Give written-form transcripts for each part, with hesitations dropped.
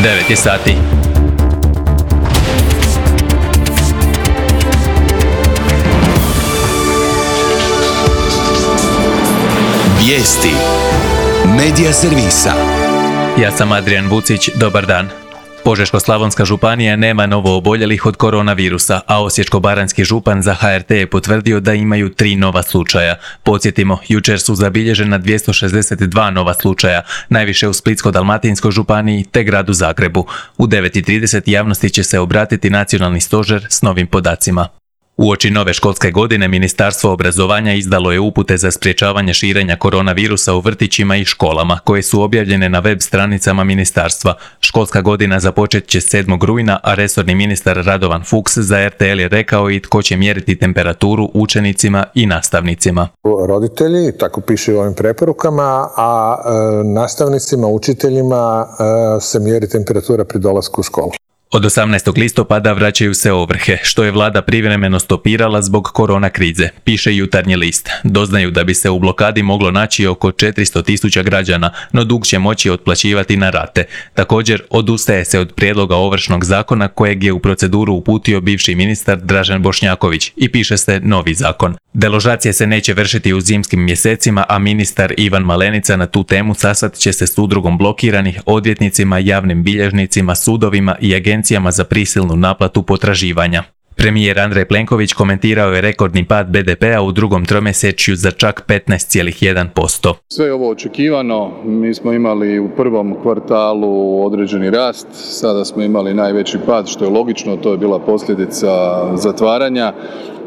9 je sati. Vijesti Medija servisa. Ja sam Adrian Vucić, dobar dan. Požeško-slavonska županija nema novo oboljelih od koronavirusa, a osječko-baranjski župan za HRT je potvrdio da imaju 3 nova slučaja. Podsjetimo, jučer su zabilježena 262 nova slučaja, najviše u Splitsko-dalmatinskoj županiji te gradu Zagrebu. U 9:30 javnosti će se obratiti nacionalni stožer s novim podacima. Uoči nove školske godine Ministarstvo obrazovanja izdalo je upute za sprječavanje širenja koronavirusa u vrtićima i školama, koje su objavljene na web stranicama ministarstva. Školska godina započet će 7. rujna, a resorni ministar Radovan Fuchs za RTL je rekao i tko će mjeriti temperaturu učenicima i nastavnicima. Roditelji, tako piše u ovim preporukama, a nastavnicima, učiteljima se mjeri temperatura pri dolasku u školu. Od 18. listopada vraćaju se ovrhe, što je vlada privremeno stopirala zbog korona krize, piše Jutarnji list. Doznaju da bi se u blokadi moglo naći oko 400.000 građana, no dug će moći otplaćivati na rate. Također, odustaje se od prijedloga ovršnog zakona kojeg je u proceduru uputio bivši ministar Dražen Bošnjaković i piše se novi zakon. Deložacije se neće vršiti u zimskim mjesecima, a ministar Ivan Malenica na tu temu sastat će se s udrugom blokiranih, odvjetnicima, javnim bilježnicima, sudovima i agencijama za prisilnu naplatu potraživanja. Premijer Andrej Plenković komentirao je rekordni pad BDP-a u drugom tromjesečju za čak 15,1%. Sve je ovo očekivano, mi smo imali u prvom kvartalu određeni rast, sada smo imali najveći pad, što je logično, to je bila posljedica zatvaranja.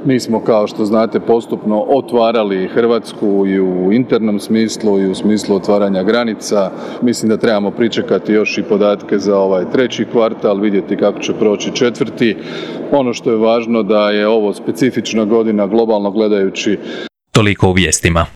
Mi smo, kao što znate, postupno otvarali Hrvatsku i u internom smislu i u smislu otvaranja granica. Mislim da trebamo pričekati još i podatke za ovaj 3. kvartal, vidjeti kako će proći 4. Ono što je važno da je ovo specifična godina globalno gledajući. Toliko u vijestima.